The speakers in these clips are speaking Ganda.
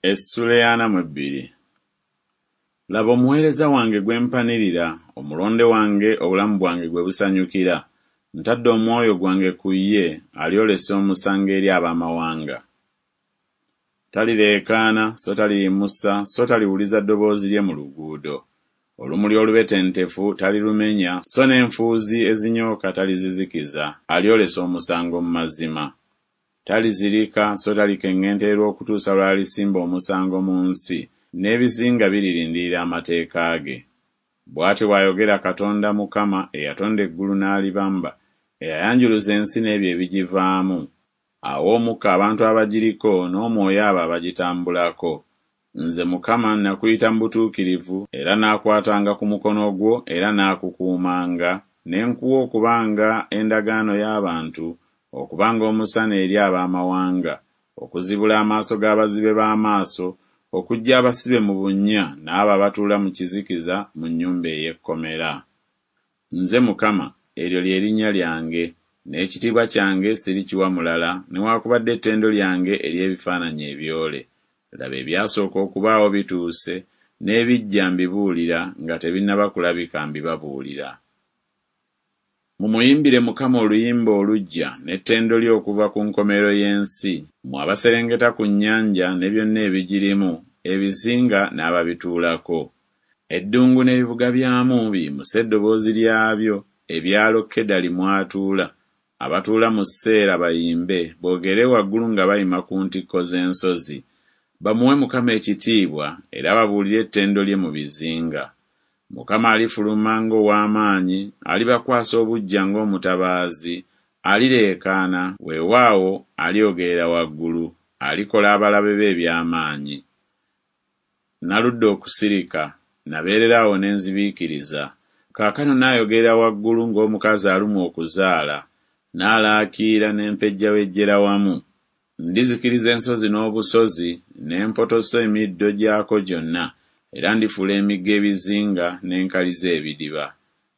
Essula ey'ana mu ebbiri. Laba omuweereza wange gwe mpanirira, omulonde wange obulamu bwange gwe busanyukira. Ntadde omwoyo gwange ku ye, alyolesa omusango eri ab'amawanga. Talireekaana, so taliyimusa, so taliwuliza ddoboozi lye mu luguudo. Olumuli olubetentefu talirumenya, so n'enfuuzi ezinyooka talizizikiza, alyolesa omusango mu mazima. Talizirika so talikeŋŋentererwa okutuusa lw'alisimba omusango mu nsi, n'ebizinga biririndirira amateeka ge. Bw'atyo bw'ayogera Katonda Mukama eyatonda eggulu n'alibamba, eyayanjuluza ensi n'ebyo ebigivaamu, awa omukka abantu abagiriko n'omwoyo abo abagitambulako. Nze Mukama nakuyita mu butuukirivu, era naakwatanga ku mukono gwo era naakukuumanga, ne nkuwa okubanga endagaano y'abantu, okubanga omusana eri ab'amawanga, okuzibula amaaso g'abazibe b'amaaso, okuggya abasibe mu bunnya n'abo abatuula mu kizikiza mu nnyumba ey'ekkomera. Nze Mukama, eryo lye linnya lyange, n'ekitiibwa kyange sirikiwa mulala, newakubadde ettendo lyange eri ebifaananyi ebyole. Laba ebyasooka okubaawo bituuse, n'ebijja mbibuulira, nga tebinnaba kulabika mbibabuulira. Mumuyimbire Mukama oluyimba oluggya, n'ettendo lye okuva ku nkomerero y'ensi, mmwe abaserengeta ku nnyanja ne byonna ebigirimu, ebizinga n'ababituulako. Eddungu n'ebibuga byamu biyimuse eddoboozi lyabyo, ebyalo Kedali mw'atuula. Abatuula mu Seera bayimbe, boogerere waggulu nga bayima ku ntikko z'ensozi. Bamuwe Mukama ekitiibwa, era babuulire ettendo lye mu bizinga. Mukama alifuluma ng'ow'amaanyi, alibakwasa obuggya ng'omutabaazi, alireekaana, weewaawo alyogerera waggulu, alikola abalabe be eby'amaanyi. Naludde okusirika, nabeerera awo ne nzibiikiriza. Kaakano naayogerera waggulu ng'omukazi alumwa okuzaala, naalaakiira ne mpejjawejjera wamu. Ndizikiriza ensozi n'obusozi, ne mpotosa emiddo gyako gyonna, era ndifuula emigga ebizinga, ne nkaliza ebidiba.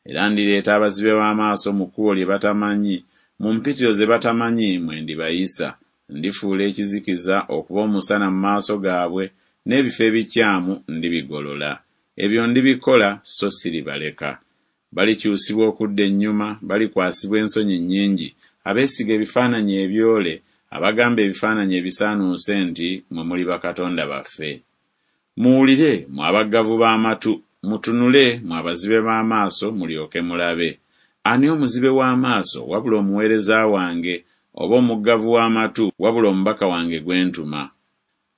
Era ndireeta abazibe b'amaaso mu kkubo lye batamanyi, mu mpitiro ze batamanyi mwe ndibayisa. Ndifuula ekizikiza okuba omusana mu maaso gaabwe, n'ebifo ebikyamu ndibigolola. Ebyo ndibikola, so siribaleka. Balikyusibwa okudda ennyuma, balikwasibwa ensonyi nnyingi, abeesiga ebifaananyi ebyole, abagamba ebifaananyi ebisaanuuse nti, Mmwe muli bakatonda baffe. Muwulire, mmwe abaggavu b'amatu, mutunule, mmwe abazibe b'amaaso, mulyoke mulabe. Ani omuzibe w'amaaso wabula omuweereza wange, oba omuggavu w'amatu wabula omubaka wange gwe ntuma?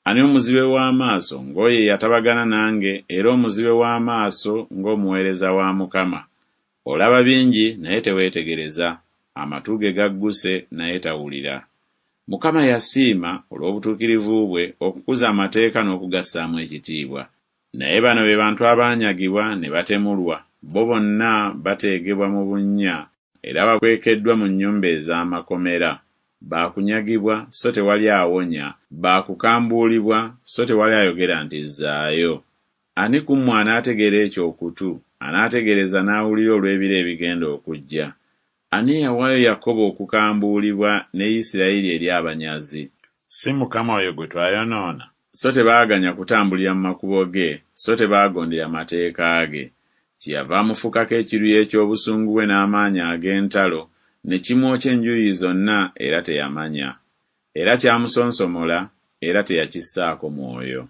Ani omuzibe w'amaaso ng'oyo eyatabagana nange, era omuzibe w'amaaso ng'omuweereza wa Mukama? Olaba bingi naye teweetegereza, amatu ge gagguse naye tawulira. Mukama yasiima, olw'obutuukirivu bwe, okukuza amateeka n'okugassaamu ekitiibwa. Naye bano be bantu abaanyagibwa ne batemulwa, bo bonna bateegebwa mu bunnya era bakwekeddwa mu nnyumba ez'amakomera. Ba kunyagibwa, so tewali awonya, ba kukambuulibwa, so tewali ayogera nti Zzaayo. Ani ku mmwe anaategera ekyo okutu, anaategereza n'awulira olw'ebiro ebigenda okujja? Ani eyawaayo Yakobo okukambuulibwa ne Isirayiri eri abanyazi? Si Mukama oyo gwe twayonoona? So tebaaganya kutambulira mu makubo ge, so tebaagondera mateeka ge. Kyeyava amufukako ekiruyi eky'obusungu bwe n'amaanyi ag'entalo, ne kimwokya enjuyi zonna, era teyamanya. Era kyamusonsomola, era teyakissaako mwoyo.